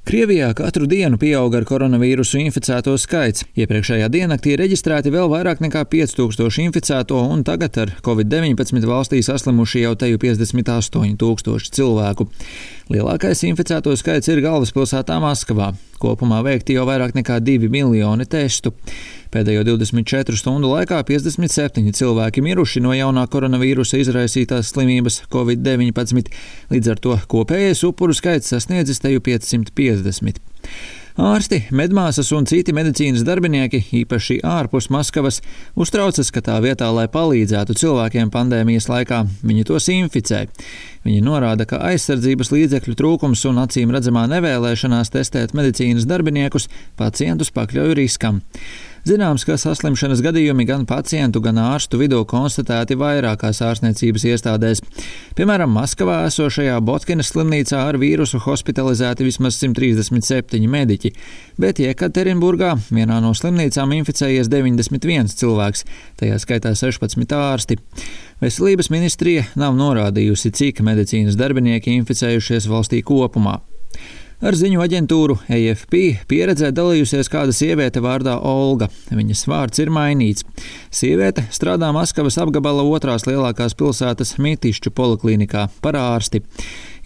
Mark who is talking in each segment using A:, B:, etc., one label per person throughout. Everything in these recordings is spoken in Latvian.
A: Krievijā katru dienu pieaug ar koronavīrusu inficēto skaits. Iepriekšējā diennaktī reģistrēti vēl vairāk nekā 5000 inficēto, un tagad ar Covid-19 valstī saslimuši jau teju 58 000 cilvēku. Lielākais inficēto skaits ir galvaspilsētā Maskavā. Kopumā veikti jau vairāk nekā 2 miljoni testu. Pēdējo 24 stundu laikā 57 cilvēki miruši no jaunā koronavīrusa izraisītās slimības Covid-19, līdz ar to kopējais upuru skaits sasniedzis teju 550. Ārsti, medmāsas un citi medicīnas darbinieki, īpaši ārpus Maskavas, uztraucas, ka tā vietā, lai palīdzētu cilvēkiem pandēmijas laikā, viņi tos inficē. Viņi norāda, ka aizsardzības līdzekļu trūkums un acīm redzamā nevēlēšanās testēt medicīnas darbiniekus pacientus pakļauj riskam. Zināms, ka saslimšanas gadījumi gan pacientu, gan ārstu vidū konstatēti vairākās ārstniecības iestādēs. Piemēram, Maskavā esošajā Botkinas slimnīcā ar vīrusu hospitalizēti vismaz 137 mediķi, bet Jekaterinburgā vienā no slimnīcām inficējies 91 cilvēks, tajā skaitā 16 ārsti. Veselības ministrija nav norādījusi, cik medicīnas darbinieki inficējušies valstī kopumā. Ar ziņu aģentūru AFP pieredzē dalījusies kāda sieviete vārdā Olga. Viņas vārds ir mainīts. Sieviete strādā Maskavas apgabala otrās lielākās pilsētas Mitišķu poliklinikā par ārsti.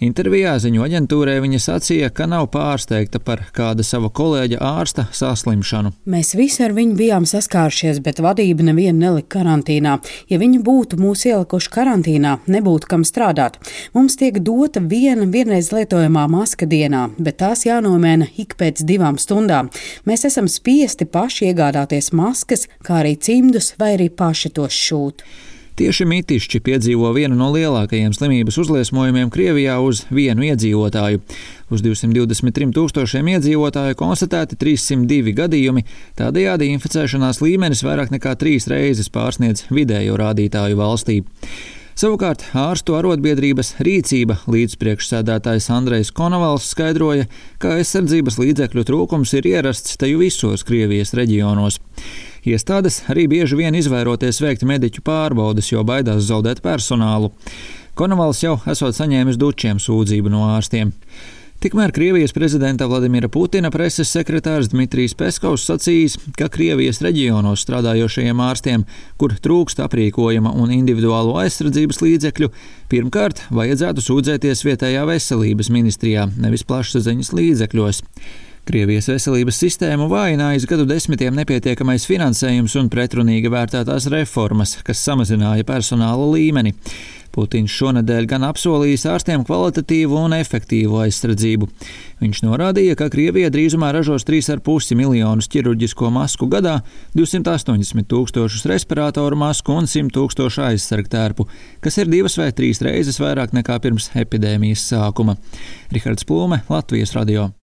A: Intervijā ziņu aģentūrai viņa sacīja, ka nav pārsteigta par kāda sava kolēģa ārsta saslimšanu.
B: Mēs visi ar viņu bijām saskāršies, bet vadība nevienu nelika karantīnā. Ja viņi būtu mūs ielikuši karantīnā, nebūtu kam strādāt. Mums tiek dota vienreiz lietojamā maska dienā, bet tās jānomaina ik pēc 2 stundām. Mēs esam spiesti paši iegādāties maskas, kā arī cimdus vai arī paši tos šūt.
A: Tieši Mitišķi piedzīvo vienu no lielākajiem slimības uzliesmojumiem Krievijā uz vienu iedzīvotāju. Uz 223 000 iedzīvotāju konstatēti 302 gadījumi, tādējādi inficēšanās līmenis vairāk nekā 3 reizes pārsniedz vidējo rādītāju valstī. Savukārt ārstu arotbiedrības Rīcība līdzpriekšsēdētājs Andrejs Konovals skaidroja, ka aizsardzības līdzekļu trūkums ir ierasts teju visos Krievijas reģionos. Iestādes arī bieži vien izvairoties veikt mediķu pārbaudes, jo baidās zaudēt personālu. Konovals jau esot saņēmis dučiem sūdzību no ārstiem. Tikmēr Krievijas prezidenta Vladimira Putina preses sekretārs Dmitrijs Peskovs sacījis, ka Krievijas reģionos strādājošajiem ārstiem, kur trūkst aprīkojuma un individuālo aizsardzības līdzekļu, pirmkārt vajadzētu sūdzēties vietējā veselības ministrijā, nevis plašsaziņas līdzekļos. Krievijas veselības sistēmu vājinājis gadu desmitiem nepietiekamais finansējums un pretrunīgi vērtētās reformas, kas samazināja personāla līmeni. Putins šonedēļ gan apsolījis ārstiem kvalitatīvu un efektīvu aizsardzību. Viņš norādīja, ka Krievija drīzumā ražos 3,5 miljonus ķirurģisko masku gadā, 280 000 respiratoru masku un 100 000 aizsargtērpu, kas ir 2 vai 3 reizes vairāk nekā pirms epidēmijas sākuma. Rihards Plūme, Latvijas radio.